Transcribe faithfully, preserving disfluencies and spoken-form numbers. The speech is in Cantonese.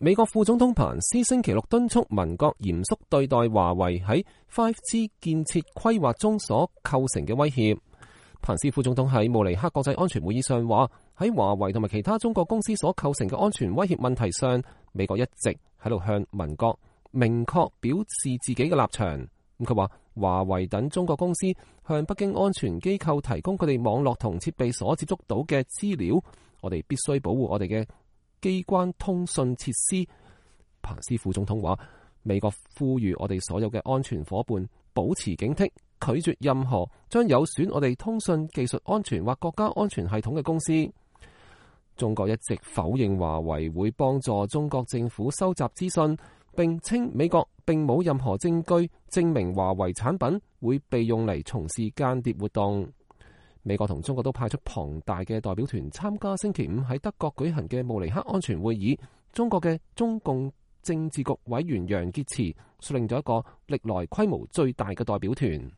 美國副總統彭斯星期六敦促民國嚴肅對待華為喺 五 G 建設規劃中所構成嘅威脅。彭斯副總統喺慕尼黑國際安全會議上話，喺華為同埋其他中國公司所構成嘅安全威脅問題上，美國一直喺度向民國明確表示自己嘅立場。咁佢話，華為等中國公司向北京安全機構提供佢哋網絡同設備所接觸到嘅資料，我哋必須保護我哋嘅機關通訊設施。彭斯副總統話，美國呼籲我哋所有嘅安全夥伴保持警惕，拒絕任何將有損我哋通訊技術安全或國家安全系統嘅公司。中國一直否認華為會幫助中國政府收集資訊，並稱美國並冇任何證據證明華為產品會被用嚟從事間諜活動。美國同中國都派出龐大嘅代表團參加星期五喺德國舉行嘅慕尼黑安全會議。中國嘅中共政治局委員楊潔篪率領咗一個歷來規模最大嘅代表團。